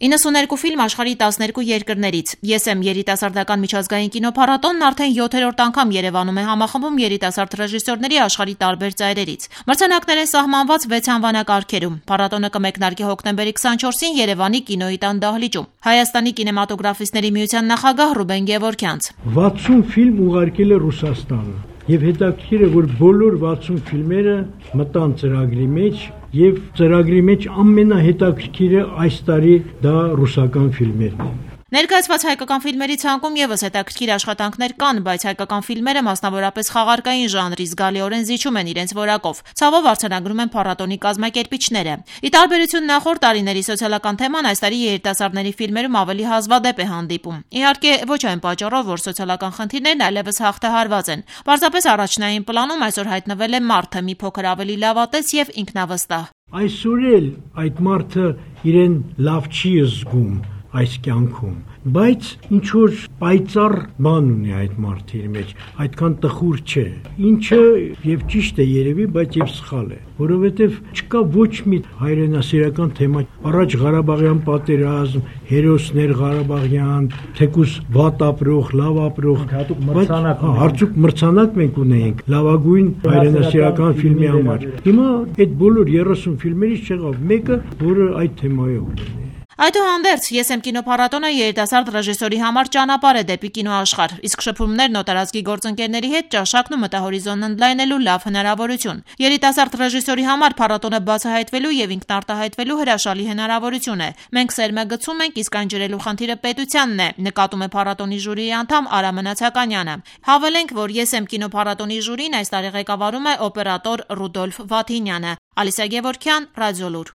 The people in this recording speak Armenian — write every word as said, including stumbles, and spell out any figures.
իննսուններկու ֆիլմ աշխարհի տասներկու երկրներից։ Ես եմ երիտասարդական միջազգային կինոփառատոնն արդեն յոթերորդ անգամ Երևանում է համախմբում երիտասարդ ռեժիսորների աշխարհի տարբեր ծայրերից։ Մրցանակներ են սահմանված վեց անվանակարգերում։ Փառատոնը կմեկնարկի հոկտեմբերի քսանչորսին Երևանի կինոյի տան դահլիճում։ Հայաստանի կինեմատոգրաֆիստների միության նախագահ Ռուբեն Գևորգյանց. վաթսուն ֆիլմ ուղարկել է Ռուսաստանը։ Եվ հետաքրքիր է, որ բոլոր վաթսուն ֆիլմերը մտան ծրագրի մեջ եւ ծրագրի մեջ ամենահետաքրքիրը այս տարի դա ռուսական ֆիլմերն են։ Ներկայացված հայկական ֆիլմերի ցանկում եւս հետաքրքիր աշխատանքներ կան, բայց հայկական ֆիլմերը մասնավորապես խաղարկային ժանրի զգալիորեն զիջում են իրենց որակով։ Ցավով արձանագրում են փառատոնի կազմակերպիչները։ Ի տարբերություն նախորդ տարիների սոցիալական թեման այս տարի երիտասարդների ֆիլմերում ավելի հազվադեպ է հանդիպում։ Իհարկե, ոչ այն պատճառով, որ սոցիալական խնդիրներն այլևս հաղթահարված են։ Պարզապես առաջնային պլանում այսօր հայտնվել է մարդը մի փոքր ավելի լավատես եւ ինքնավստահ։ Այսօր էլ այդ մարդը իրեն լավ չի զգում այս կյանքում, բայց ինչ որ պայծառ բան ունի այդ մարդի մեջ, այդքան տխուր չէ, ինչը եւ ճիշտ է երևի, բայց եւ սխալ է, որովհետեւ չկա ոչ մի հայրենասիրական թեմա, առաջ Ղարաբաղյան պատերազմ, հերոսներ Ղարաբաղյան, թեկուս վատ ապրող, լավ ապրող, հատուկ մրցանակ, հատուկ մրցանակ մենք ունենք լավագույն հայրենասիրական ֆիլմի համար։ Հիմա այդ բոլոր երեսուն ֆիլմերից չեղավ մեկը, որը այդ թեմայով ունի։ Այդուհանդերձ, ես եմ կինոփառատոնը երիտասարդ ռեժիսորի համար ճանապարհ է դեպի կինոաշխարհ, իսկ շփումներն օտարազգի գործընկերների հետ ճաշակն ու մտահորիզոնն ընդլայնելու լավ հնարավորություն։ Երիտասարդ ռեժիսորի համար փառատոնը բացահայտվելու եւ ինքնարտահայտվելու հրաշալի հնարավորություն է։ Մենք սերմը գցում ենք, իսկ այն ջրելու խնդիրը պետությանն է, նկատում է փառատոնի ժյուրիի անդամ Արա Մնացականյանը։ Հավելենք, որ ես եմ կինոփառատոնի ժյուրին այս տարի ղեկավարում է օպերատոր Ռուդոլֆ Վաթինյանը։ Ալիսա Գևորգյան, Ռադիոլուր։